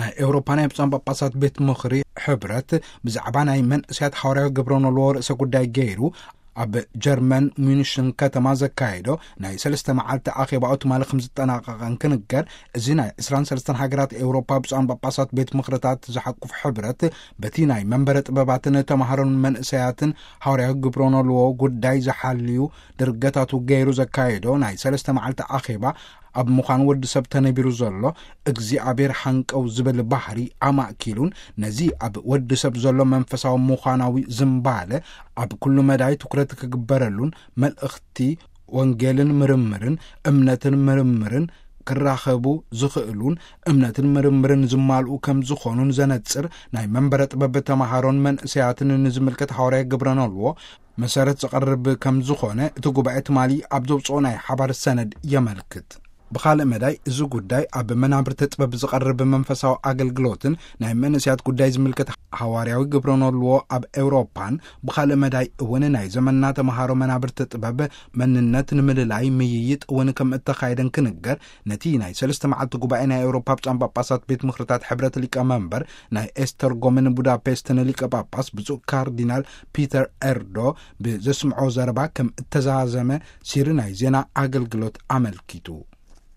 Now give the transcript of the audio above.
ናይ ኤውሮፓ ናይ ብፁዓን ጳጳሳት ቤት ምኽሪ ሕብረት ብዛዕባ ናይ መንእሰያት ሓዋርያዊ ግብረ ኖልዎ ርእሰ ጉዳይ ገይሩ ኣብ ጀርመን ሚኒሽን ከተማ ዘካየዶ ናይ ሰለስተ መዓልቲ ኣኼባኡ ትማሊ ከም ዝጠናቐቐን ክንገር፣ እዚ ናይ ዕስራን ሰለስተን ሃገራት ኤውሮፓ ብፁዓን ጳጳሳት ቤት ምኽርታት ዝሓቁፍ ሕብረት በቲ ናይ መንበረ ጥበባትን ተማሃሮን መንእሰያትን ሓዋርያዊ ግብረ ኖልዎ ጉዳይ ዝሓልዩ ድርገታቱ ገይሩ ዘካየዶ ናይ ሰለስተ መዓልቲ ኣኼባ ኣብ ምዃን ወዲ ሰብ ተነቢሩ ዘሎ እግዚኣብሔር ሓንቀው ዝብል ባህሪ ኣማእኪሉን ነዚ ኣብ ወዲ ሰብ ዘሎ መንፈሳዊ ምዃናዊ ዝምባለ ኣብ ኩሉ መዳይ ትኩረት ክግበረሉን መልእኽቲ ወንጌልን ምርምርን እምነትን ምርምርን ክራኸቡ ዝኽእሉን እምነትን ምርምርን ዝማልኡ ከም ዝኾኑን ዘነጽር ናይ መንበረ ጥበብ ተማሃሮን መንእሰያትን ንዝምልከት ሓዋርያ ግብረ ኖልዎ መሰረት ዝቐርብ ከም ዝኾነ እቲ ጉባኤ ትማሊ ኣብ ዘውፅኦ ናይ ሓባር ሰነድ የመልክት። ብኻልእ መዳይ፣ እዚ ጉዳይ ኣብ መናብርቲ ጥበብ ዝቐርብ መንፈሳዊ ኣገልግሎትን ናይ መንእሰያት ጉዳይ ዝምልከት ሓዋርያዊ ግብረ ኖልዎ ኣብ ኤውሮፓን ብኻልእ መዳይ እውን ናይ ዘመንና ተምሃሮ መናብርቲ ጥበብ መንነት ንምልላይ ምይይጥ እውን ከም እተኻየደን ክንገር፣ ነቲ ናይ ሰለስተ መዓልቲ ጉባኤ ናይ ኤውሮፓ ብፁዓን ጳጳሳት ቤት ምኽርታት ሕብረት ሊቀ መንበር ናይ ኤስተርጎምን ቡዳፔስትን ሊቀ ጳጳስ ብፁዕ ካርዲናል ፒተር ኤርዶ ብዘስምዖ ዘረባ ከም እተዛዘመ ሲሪ ናይ ዜና ኣገልግሎት ኣመልኪቱ።